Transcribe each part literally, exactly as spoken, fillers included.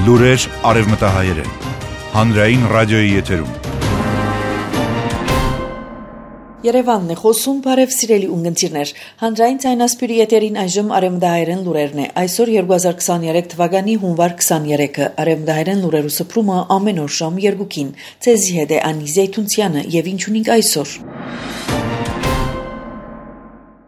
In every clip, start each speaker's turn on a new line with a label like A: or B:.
A: Լուրեր արևմտահայերեն, հանրային ռադիոյի եթերում։
B: Երևանն է խոսում, բարև սիրելի ունգընտիրներ, հանրային ցայնասպյուրի եթերին այժմ արևմտահայերեն լուրերն է, այսօր երկու հազար քսաներեք թվականի հունվար քսաներեքը, արևմտահայերեն լուրերու սփռումը ամեն օր ժամ երկուքին, ցեզի հետ է Անի Զեյթունցյանը եւ ինչ ունենք այսօր։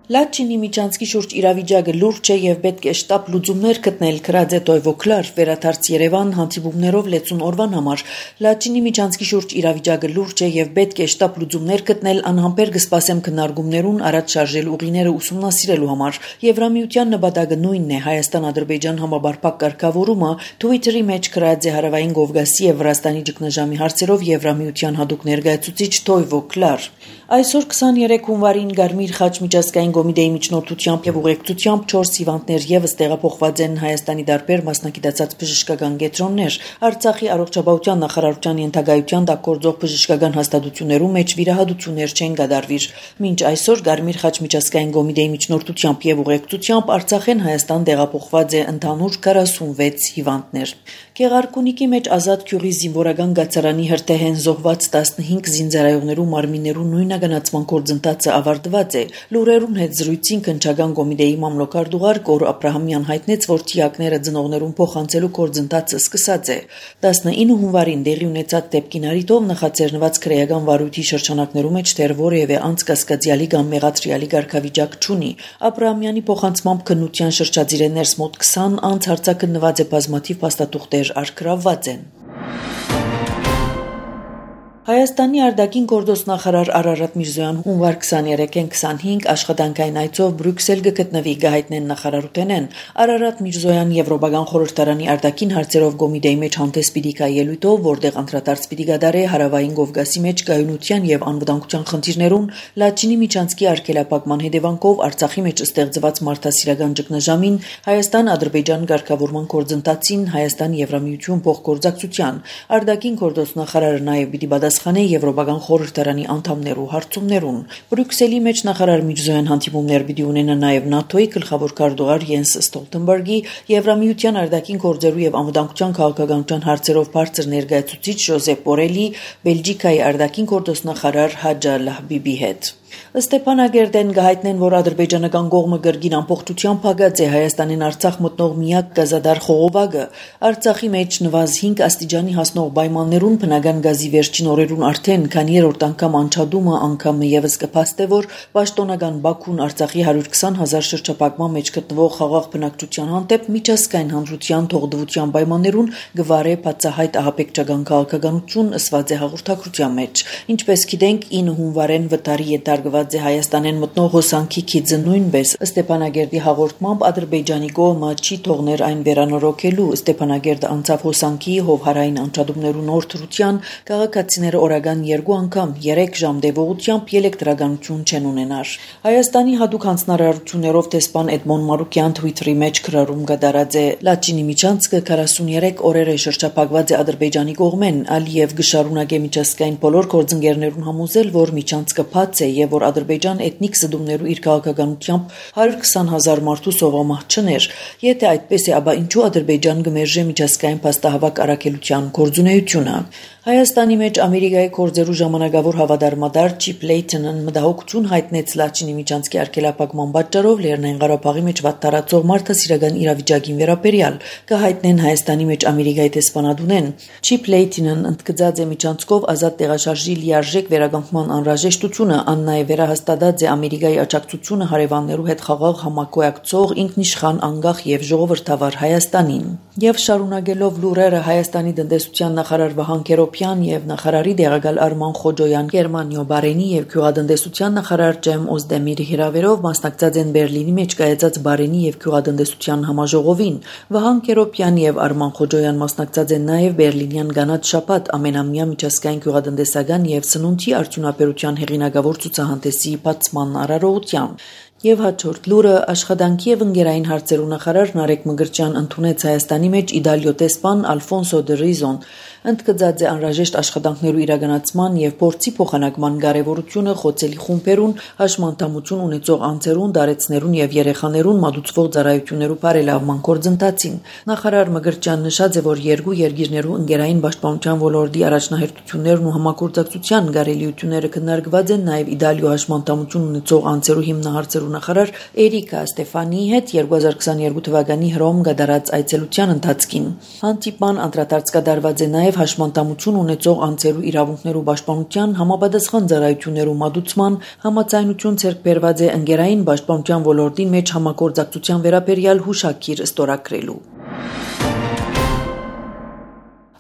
B: Լաչինի Միջանցքի շուրջ իրավիճակը լուրջ է եւ պետք է շտապ լուծումներ գտնել Քրաձե Տոյվոքլար վերադարձ Երևան հանդիպումներով լեցուն օրվան համար Լաչինի Միջանցքի շուրջ իրավիճակը լուրջ է եւ պետք է շտապ լուծումներ գտնել անհամբեր կսպասեմ քննարկումներուն առաջ շարժել ուղիները ուսումնասիրելու համար Եվրամիության նպատակը նույնն է Հայաստան-Ադրբեջան համաբարփակ կարգավորումը Twitter-ի մեջ Քրաձե հարավային Կովկասի եւ Վրաստանի ճգնաժամի հարցերով Եվրամիության հadoop ներկայացուցիչ Տոյվոքլար Այսօր քսաներեք հունվարին Գարմիր խաչ միջազգային Կոմիտեի միջնորդությամբ եւ ուղեկցությամբ չորս հիվանդներ եւս տեղափոխված են Հայաստանի դարբեր մասնակցած բժշկական կենտրոններ Արցախի առողջապահության նախարարության ենթակայության տակ գործող բժշկական հաստատություններում մեջ վիրահատություններ չեն կատարվիր մինչ այսօր Գարմիր խաչ միջազգային կոմիտեի միջնորդությամբ եւ ուղեկցությամբ Արցախեն Հայաստան տեղափոխված է ընդհանուր քառասունվեց հիվանդներ Գեղարքունիքի մեջ ազատ քյուրի զինվորական գացարանի հրթեհեն զոհված տասնհինգ զինծառայողներու մարմիններու նույնականացման գործընթացը ավարտված է լուրերուն հետ զրույցին քննչական կոմիտեի մամլոքարտուղար Կոր Աբրահամյան հայտնեց, որ թիակները ծնողներուն փոխանցելու գործընթացը սկսած է տասնինը հունվարին տեղի ունեցած դեպքին առիթով նախաձեռնված քրեական վարույթի շրջանակներում մեջ դեռ որևէ անցկացկացյալի կամ մեղադրյալի կարգավիճակ չունի Աբրահամյանի փոխանցմամբ քննության շրջածիրներս մոտ քսան անց հարցակնված է բազմաթիվ փաստաթուղթեր արգրավված են Հայաստանի արտաքին գործոստ նախարար Արարատ Միրզոյան հունվար քսաներեքին քսանհինգ աշխատանքային այցով Բրյուսել կգտնվի գահիտնեն նախարարութենեն Արարատ Միրզոյան Եվրոպական խորհրդարանի արտաքին հարցերով կոմիտեի մեջ հանդես պիտի գա ելույթով, որտեղ անդրադարձ պիտի կատարե հարավային Կովկասի մեջ կայունության եւ անվտանգության խնդիրներուն Լաչինի Միջանցքի արգելափակման հետևանքով Արցախի մեջ ստեղծված մարդասիրական ճգնաժամին Հայաստան-Ադրբեջան կարգավորման գործընթացին Հայաստան-Եվրամիություն փոխգործակցության արտաքին գործոստ նախարարը նաեւ պիտի Սխանե Եվրոպական խորհրդարանի անդամներու հարցումներուն Բրյուսելի մեջ նախարար Միրզոյան հանդիպումներ պիտի ունենա նաև ՆԱՏՕ-ի գլխավոր քարտուղար Յենս Ստոլտենբերգի, Եվրամիության արտաքին գործերու եւ անվտանգության քաղաքականության հարցերով բարձր ներկայացուցիչ Ժոզեփ Բորելի, Բելգիկայի արտաքին գործոստ նախարար Հաջա Լահբիբի հետ Ստեփանագերդեն գահիտնեն, որ ադրբեջանական կողմը գրգին ամբողջությամբ փակած է Հայաստանին Արցախ մտնող միակ գազադար խողովակը Արցախի մեջ նվազ հինգ աստիճանի հասնող պայմաններուն բնական գազի վերջին օրերուն արդեն քանի երրորդ անգամ անչադումը անգամը եւս կփաստե, որ պաշտոնական Բաքուն Արցախի հարյուր քսան հազար շրջապակման մեջ գտնվող խաղաղ բնակչության հանդեպ միջազգային հանրության թողդվության պայմաններուն գվարե բացահայտ ահաբեկչական քաղաքականություն ըսված է հաղորդակցության մեջ ինչպես գիտենք ինը հունվարեն վտարի Գված է Հայաստանեն մտնող հոսանքի քիծը նույնպես Ստեփանագերդի հաղորդմամբ Ադրբեջանի կողմը չի թողներ այն վերանորոգելու Ստեփանագերդը անցավ հոսանքի հովհարային անջատումներու նոր թրության քաղաքացիները օրական երկու անգամ երեք ժամ դեպողությամբ էլեկտրականություն չեն ունենար Հայաստանի հadoop հանձնարարություններով տեսփան Էդմոն Մարուկյան Twitter-ի մեջ քրարում կդարած է Լաչինի Միջանցքը քառասուներեք օրեր է շրջապակված է Ադրբեջանի կողմեն Ալիև գշարունակե միջազգային բոլոր գործընկերներուն համոզել որ Միջանցքը բաց է եւ որ Ադրբեջան էթնիկ զդումներու իր քաղաքականությամբ հարյուր քսան հազար մարդու սովամահ չներ եթե այդպես է ապա ինչու Ադրբեջան գմերժե միջազգային փաստահավաք առաքելության գործունեությունը Հայաստանի մեջ Ամերիկայի կորձերու ժամանակավոր հավատարմադար Չիփ Լեյթոնն մտահոգություն հայտնեց Լաչինի Միջանցքի արգելափակման պատճառով Լեռնային Ղարաբաղի մեջ վատթարացող մարդասիրական իրավիճակին վերաբերյալ կհայտնեն Հայաստանի մեջ Ամերիկայի տեսփանատունեն Չիփ Լեյթոնն ընդգծած է Միջանցքով ազատ տեղաշարժի լիարժեք վերականգնման անհրաժեշտությունը ան նաև վերահաստատած է Ամերիկայի աջակցությունը հարևաններու հետ խաղաղ համակոյակցող ինքնիշխան անկախ եւ ժողովրդավար Հայաստանին եւ շարունակելով լուրերը Հայաստանի տնտեսության նախարար Վահան Քերոփյան եւ նախարարի դեղակալ Արման Խոջոյան Գերմանիո Բարենի եւ գյուղատնտեսության նախարար Ջեմ Օզդեմիրի հրավերով մասնակցած են Բերլինի մեջ կայացած Բարենի եւ գյուղատնտեսության համաժողովին Վահան Քերոփյան եւ Արման Խոջոյան մասնակցած են նաեւ Բերլինյան Գանաթ շաբաթ ամենամյա միջազգային գյուղատնտեսական եւ սնունդի արդյունաբերության հեղինակավոր ցուցահանդեսի բացման արարողությամբ Եվ հաջորդ լուրը աշխատանքի եւ ընկերային հարցերու նախարար Նարեկ Մգրտչյան ընդունեց Հայաստանի մեջ Իդալիո տեսփան Ալֆոնսո դե Ռիզոն, ընդգծած է անհրաժեշտ աշխատանքներու իրականացման եւ փորձի փոխանակման կարեւորությունը խոցելի խումբերուն, հաշմանդամություն ունեցող անձերուն, դարեցներուն եւ երեխաներուն մատուցվող ծառայություններու բարելավման գործընթացին։ Նախարար Մգրտչյան նշած է, որ երկու երկիրներու ընկերային պաշտպանության ոլորտի առաջնահերթություններն ու համագործակցության գարելիությունները քննարկված են նաեւ Իդալիո հաշմանդամություն ունեցող անձերու հիմնահարցերու նախարար Էրիկա Ստեֆանիի հետ երկու հազար քսաներկու թվականի հռոմ գդարած այցելության ընթացքին։ Հանդիպման անդրադարձ կատարված է նաև հաշմանդամություն ունեցող անձերու իրավունքներու պաշտպանության համապատասխան ծառայություններու մատուցման, համաձայնություն ցերկ բերված է ընկերային պաշտպանության ոլորտի մեջ համագործակցության վերաբերյալ հուշագիր ստորագրելու։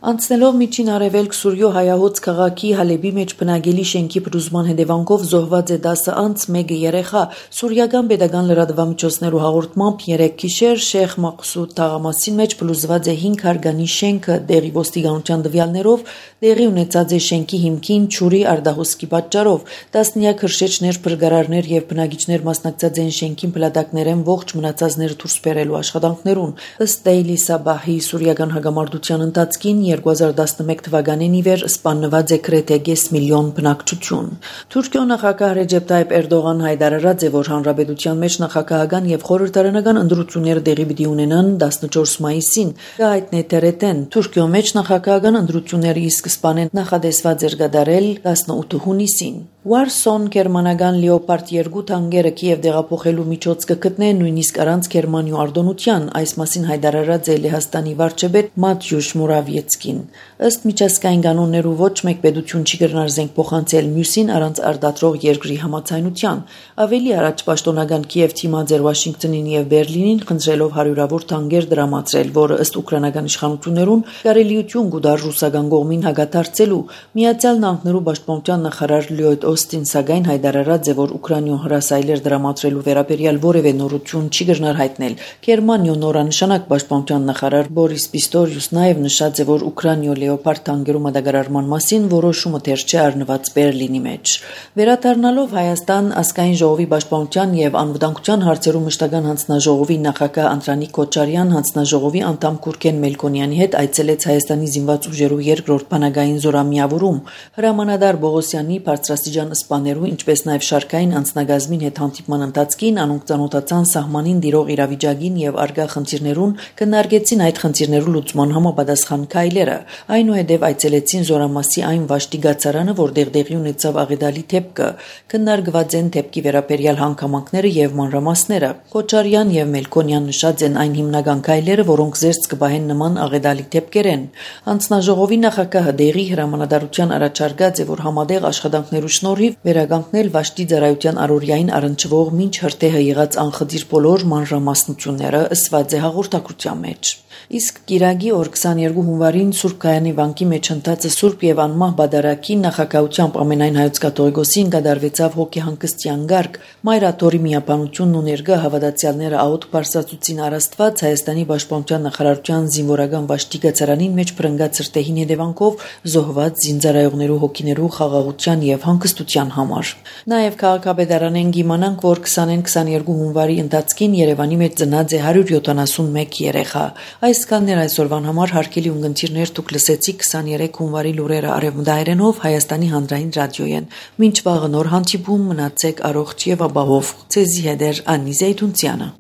B: Անցնելով միջին արևելք Սուրյո հայահոց քաղաքի Հալեբի մեջ բնակելի շենքի փլուզման հետևանքով զոհված է դասը անց մեկ երեխա, սուրիական պետական լրատվամիջոցներու հաղորդմամբ երեք գիշեր Շեխ Մaqsud թաղամասի մեջ փլուզված է հինգ հարգանի շենքը, դեղի ոստիկանության տվյալներով տեղի ունեցած է շենքի հիմքին չուրի արդահոսքի պատճառով, տասնյակ հրշեջներ, փրկարարներ եւ բնակիչներ մասնակցած են շենքին փլատակներեն ողջ մնացածները դուրս բերելու աշխատանքներուն։ Ըստ Daily Sabah-ի սուրիական հագամարտության ընթացքին երկու հազար տասնմեկ թվականին ի վեր սպանված է գրեթե կես միլիոն բնակչություն։ Թուրքիո նախագահ Ռեջեփ Տայիպ Էրդողան հայտարարած է, որ հանրապետության մեջ նախագահական եւ խորհրդարանական ընտրությունները տեղի պիտի ունենան տասնչորս մայիսին։ Գայտնե Տերետեն Թուրքիո մեջ նախագահական ընտրությունները ի սկզբանե նախադեсված էր կատարել տասնութ հունիսին։ Warson գերմանական Leopard երկու տանկերը Կիև դեղափոխելու միջոց կգտնե նույնիսկ առանց Գերմանիու արտոնության, այս մասին հայտարարած է Լեհաստանի վարչապետ Մատյուշ Մուրավիեցկին։ Ըստ միջազգային կանոններու ոչ մեկ պետություն չի կրնար զենք փոխանցել մյուսին առանց արտադրող երկրի համաձայնության։ Ավելի առաջ պաշտոնական Կիև թիմած էր Վաշինգտոնին եւ Բերլինին խնդրելով հարյուրավոր տանկեր դրամացրել, որը ըստ ուկրաինական իշխանություններուն կարելիություն կուտար ռուսական կողմին հագաթարցելու։ Միացյալ Նահանգներու պաշտպանության նախարար Լյոյդ Օստին սակայն հայտարարած է, որ Ուկրաինայում հրասայլեր դրամատրելու վերաբերյալ որևէ նորություն չի կրնար հայտնել։ Գերմանիո նորանշանակ պաշտպանության նախարար Բորիս Պիստորիուս նաև նշած է, որ Ուկրաինայո Leopard տանկերու մատակարարման մասին որոշումը դեռ չի առնված Բերլինի մեջ։ Վերադառնալով Հայաստան, ազգային ժողովի պաշտպանության եւ անվտանգության հարցերու մշտական հանձնաժողովի նախագահ Անդրանիկ Քոչարյան հանձնաժողովի անդամ Գուրգեն Մելքոնյանի հետ այցելեց Հայաստանի զինված ուժերու երկրորդ բանակային զորամիավորում։ Հրամանատար Բողոսյանի բարձրաստիճան սպաներու, ինչպես նաև շարքային անձնագազմին հետ հանդիպման ընթացքին անոնք ծանոթացան սահմանին դիրող իրավիճակին եւ արգա խնդիրներուն, քննարկեցին այդ խնդիրներու լուծման համապատասխան քայլերը։ Այնուհետև այցելեցին Զորամասի այն վաշտի գացարանը, որտեղ տեղի ունեցավ աղետալի դեպքը, քննարկված են դեպքի վերաբերյալ հանգամանքները եւ մանրամասները։ Քոչարյան եւ Մելքոնյան նշած են այն հիմնական քայլերը, որոնք զերծ կբահեն նման աղետալի դեպքերեն։ Հանձնաժողովի նախագահը դեղի հրամանատարության առաջարկած է, որ համատեղ աշխատանքներու շնորհիվ վերականգնել վաշտի ծառայության առօրյային առնչվող մինչ հրթեհը եղած անխտիր բոլոր մանրամասնությունները, ըսված է հաղորդակցության մեջ։ Իսկ Կիրակի օր քսաներկու հունվարին Սուրբ Գայանի վանքի մեջ ընթացը Սուրբ եւ անմահ բադարակի նախագահությամբ ամենայն հայոց կաթողիկոսին կդարվեցավ հոգեհանգստյան գարկ։ Մայրաթորի միապանությունն ու ներկա հավատացյալները աղոթ բարձրացուցին առաստված Հայաստանի պաշտպանության նախարարության զինվորական վաշտի գացարանին մեջ փրկած սրտեհին հետևանքով զոհված զինծառայողներու հոգիներու խաղաղության եւ հանգստության համար։ Նաեւ քաղաքապետարանեն գիմանանք, որ քսանին քսաներկու հունվարի ընթացքին Երևանի մեջ ծնած է հարյուր յոթանասունմեկ երեխա։ Այս կաններ այսօրվան համար հարգելի ունգընտիրներ, դուք լսեցիք քսաներեք հունվարի լուրերը արևմտահայերենով Հայաստանի հանրային ռադիոյեն։ Մինչ վաղը նոր հանդիպում, մնացեք առողջ եւ ապահով։ Ցեզի հետ է Անի Զեյթունցյանը։